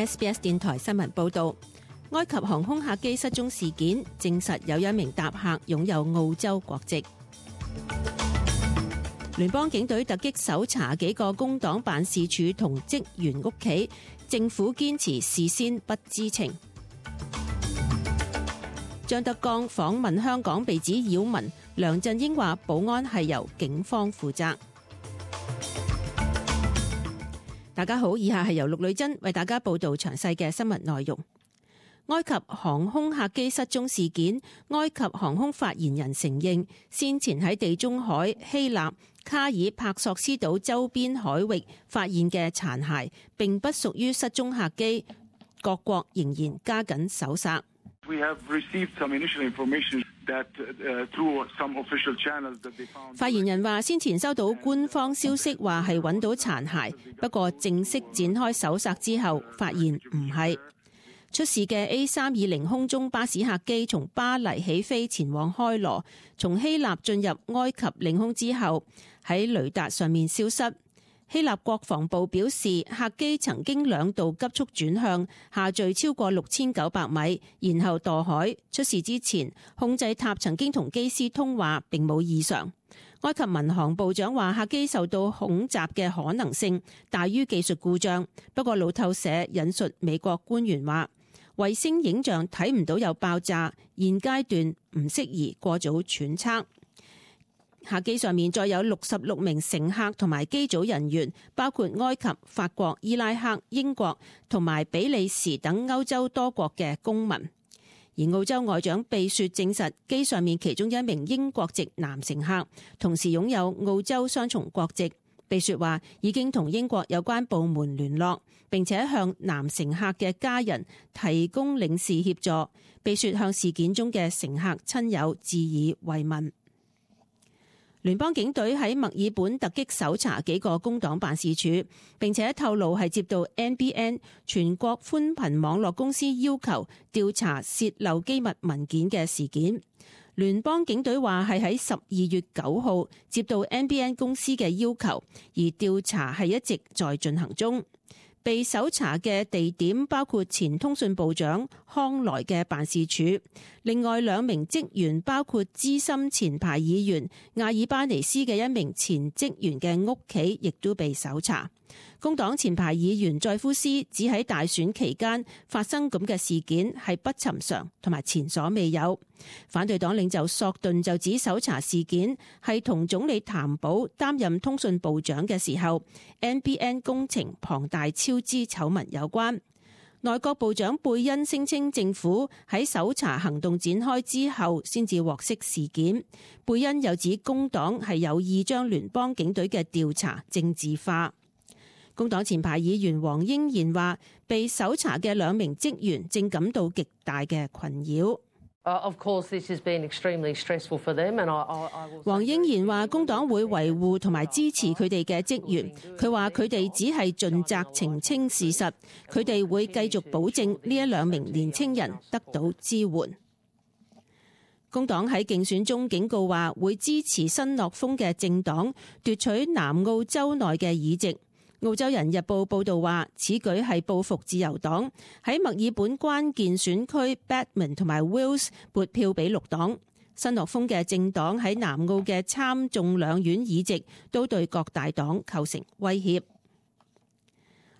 SBS 電台新聞報導，埃及航空客機失蹤事件證實有一名搭客擁有澳洲國籍。聯邦警隊突擊搜查幾個工黨辦事處同職員屋企，政府堅持事先不知情。張德江訪問香港被指擾民，梁振英話保安係由警方負責。大家好，以下係由陸女珍為大家報道詳細嘅新聞內容。埃及航空客機失蹤事件，埃及航空發言人承認，先前喺地中海、希臘、卡爾帕索斯島周邊海域發現嘅殘骸並不屬於失蹤客機，各國仍然加緊搜索。發言人話，先前收到官方消息話係揾到殘骸，不過正式展開搜索之後，發現唔係。出事嘅 A320 空中巴士客機從巴黎起飛前往開羅，從希臘進入埃及領空之後，喺雷達上面消失。希臘國防部表示，客機曾經2度急速轉向，下墜超過6900米，然後墮海。出事之前，控制塔曾經同機師通話，並冇異常。埃及民航部長話，客機受到恐襲嘅可能性大於技術故障。不過路透社引述美國官員話，衛星影像睇唔到有爆炸，現階段唔適宜過早揣測。客機上面再有66名乘客同埋機組人員，包括埃及、法國、伊拉克、英國同埋比利時等歐洲多國嘅公民。而澳洲外長貝雪證實，機上面其中一名英國籍男乘客同時擁有澳洲雙重國籍。貝雪話已經同英國有關部門聯絡，並且向男乘客嘅家人提供領事協助。貝雪向事件中嘅乘客親友致以慰問。聯邦警隊喺墨爾本突擊搜查幾個工黨辦事處，並且透露係接到 NBN 全國寬頻網絡公司要求調查洩漏機密文件嘅事件。聯邦警隊話係喺12月9號接到 NBN 公司嘅要求，而調查係一直在進行中。被搜查嘅地點包括前通訊部長康萊嘅辦事處，另外2名職員包括資深前排議員阿爾巴尼斯嘅一名前職員嘅屋企，亦都被搜查。工黨前排議員載夫斯指喺大選期間發生咁嘅事件係不尋常同埋前所未有。反對黨領袖索頓就指搜查事件係同總理譚寶擔任通訊部長嘅時候 NBN 工程龐大超支醜聞有關。內閣部長貝恩聲稱政府喺搜查行動展開之後先至獲悉事件。貝恩又指工黨係有意將聯邦警隊嘅調查政治化。工黨前排議員黃英賢話，被搜查嘅2名職員正感到極大嘅困擾。黃英賢話，工黨會維護同埋支持佢哋嘅職員。佢話佢哋只係盡責澄清事實，佢哋會繼續保證呢2名年青人得到支援。工黨喺競選中警告話，會支持新諾豐嘅政黨奪取南澳州內嘅議席。澳洲人日報報導話，此舉係報復自由黨喺墨爾本關鍵選區 Batman 同埋 Wills 撥票俾綠黨。新諾豐嘅政黨喺南澳嘅參眾兩院議席都對各大黨構成威脅。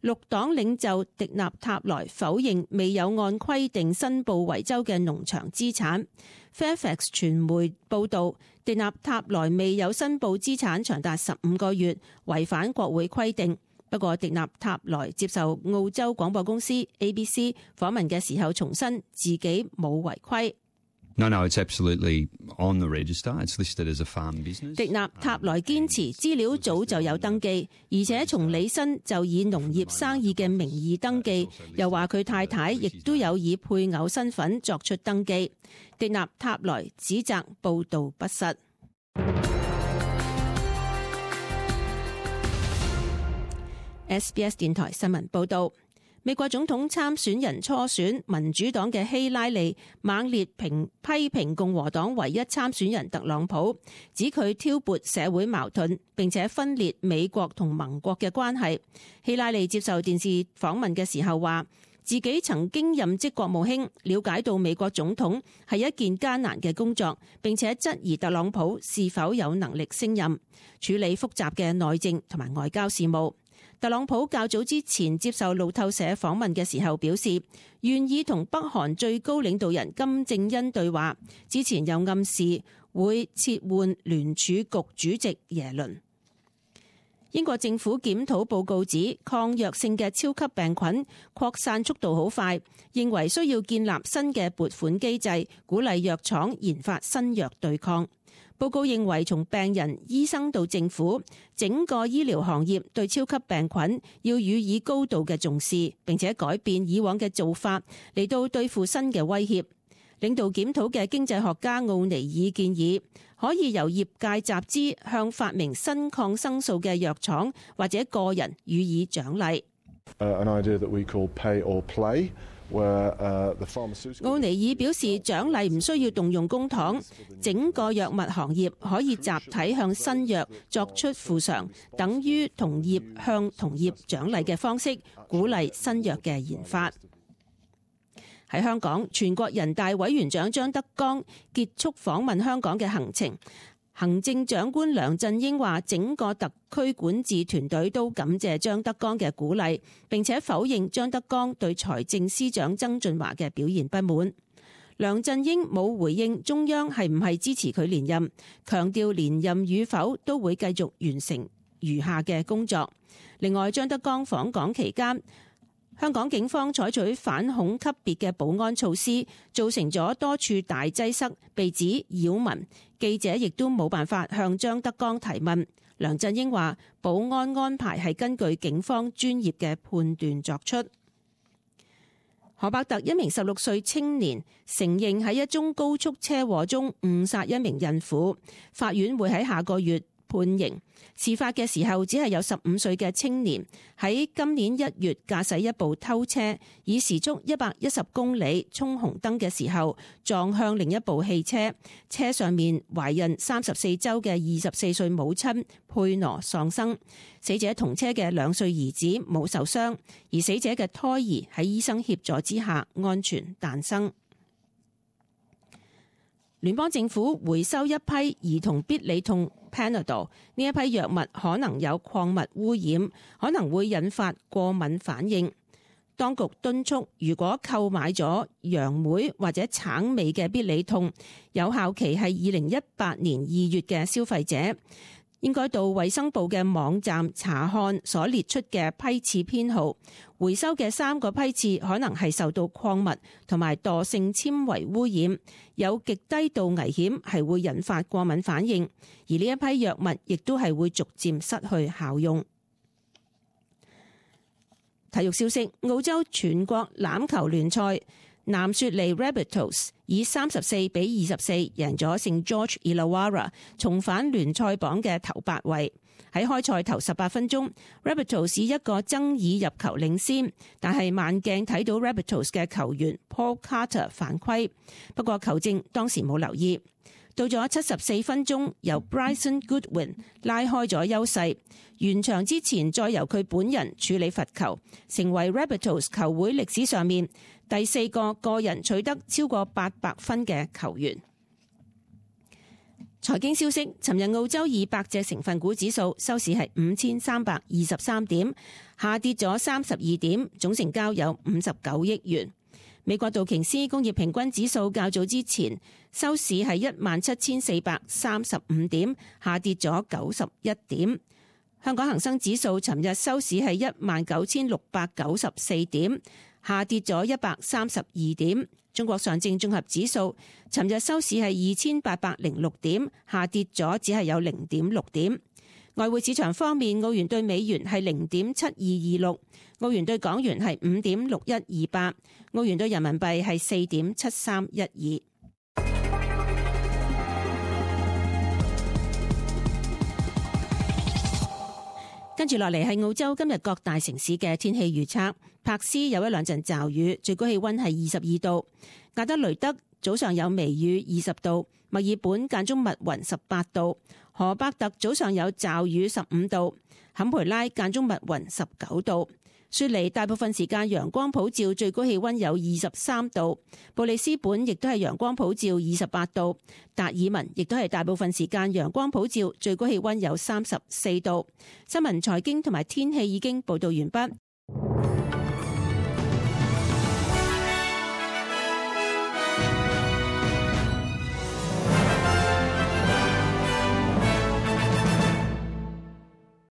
綠黨領袖迪納塔萊否認未有按規定申報維州嘅農場資產。Fairfax 傳媒報導，迪納塔萊未有申報資產長達15個月，違反國會規定。不過，迪納塔萊接受澳洲廣播公司 ABC 訪問嘅時候重申自己冇違規。No, it's absolutely on the register. It's listed as a farm business. 迪納塔萊堅持資料早就有登記，而且從履新就以農業生意嘅名義登記，又話佢太太亦都有以配偶身份作出登記。迪納塔萊指責報導不實。SBS 電台新聞報導，美國總統參選人初選，民主黨嘅希拉里猛烈批評共和黨唯一參選人特朗普，指佢挑撥社會矛盾，並且分裂美國同盟國嘅關係。希拉里接受電視訪問嘅時候話，自己曾經任職國務卿，了解到美國總統係一件艱難嘅工作，並且質疑特朗普是否有能力勝任處理複雜嘅內政同埋外交事務。特朗普較早之前接受路透社訪問嘅時候表示，願意同北韓最高領導人金正恩對話，之前又暗示會撤換聯儲局主席耶倫。英國政府檢討報告指，抗藥性嘅超級病菌擴散速度好快，認為需要建立新嘅撥款機制，鼓勵藥廠研發新藥對抗。報告認為，從病人、醫生到政府，整個醫療行業對超級病菌要予以高度嘅重視，並且改變以往嘅做法嚟到對付新嘅威脅。領導檢討嘅經濟學家奧尼爾建議，可以由業界集資向發明新抗生素嘅藥廠或者個人予以獎勵。奧尼爾表示，獎勵唔需要動用公帑，整個藥物行業可以集體向新藥作出賠償，等於同業向同業獎勵嘅方式，鼓勵新藥嘅研發。喺香港，全國人大委員長張德江結束訪問香港嘅行程。行政長官梁振英話，整個特區管治團隊都感謝張德江嘅鼓勵，並且否認張德江對財政司長曾俊華嘅表現不滿。梁振英冇回應中央係唔係支持佢連任，強調連任與否都會繼續完成餘下嘅工作。另外，張德江訪港期間，香港警方採取反恐級別嘅保安措施，造成咗多處大擠塞，被指擾民。記者亦都冇辦法向張德江提問。梁振英話，保安安排係根據警方專業嘅判斷作出。荷伯特一名16歲青年承認喺一宗高速車禍中誤殺一名孕婦，法院會喺下個月判刑。事發嘅時候只係有15歲嘅青年喺今年1月駕駛一部偷車，以時速110公里衝紅燈嘅時候撞向另一部汽車，車上面懷孕34週嘅24歲母親佩羅喪生。死者同車嘅2歲兒子冇受傷，而死者嘅胎兒喺醫生協助之下安全誕生。聯邦政府回收一批兒童必理痛 Panadol， 呢一批藥物可能有礦物污染，可能會引發過敏反應。當局敦促，如果購買咗楊梅或者橙味嘅必理痛，有效期係2018年2月嘅消費者，應該到衛生部嘅網站查看所列出嘅批次編號。回收嘅3個批次可能係受到礦物同埋惰性纖維污染，有極低度危險係會引發過敏反應，而呢一批藥物亦都係會逐漸失去效用。體育消息，澳洲全國欖球聯賽，南雪梨 Rabbitohs 以34-24贏咗聖 George Illawarra， 重返聯賽榜嘅頭8位。喺開賽頭18分鐘 ，Rabbitohs 以一個爭議入球領先，但係慢鏡睇到 Rabbitohs 嘅球員 Paul Carter 犯規，不過球證當時冇留意。到咗74分鐘，由 Bryson Goodwin 拉開咗優勢，完場之前再由佢本人處理罰球，成為 Rabbitohs 球會歷史上面第4個個人取得超過800分嘅球員。財經消息，尋日澳洲200隻成分股指數收市係5323點，下跌咗32點，總成交有59億元。美國道瓊斯工業平均指數較早之前收市係17435點，下跌咗91點。香港恒生指數尋日收市係19694點，下跌咗132點。中國上證綜合指數尋日收市係2806點，下跌咗只係有0.6點。外匯市場方面，澳元對美元係0.7226，澳元對港元係5.6128，澳元對人民幣係4.7312。跟住落嚟係澳洲今日各大城市嘅天氣預測。柏斯有1-2陣驟雨，最高氣溫係22度；亞德雷德、早上有微雨20度，墨爾本間中密雲18度，荷伯特早上有驟雨15度，坎培拉間中密雲19度，雪梨大部分時間陽光普照，最高氣溫有23度，布里斯本亦都係陽光普照28度，達爾文亦都係大部分時間陽光普照，最高氣溫有34度。新聞財經同埋天氣已經報道完畢。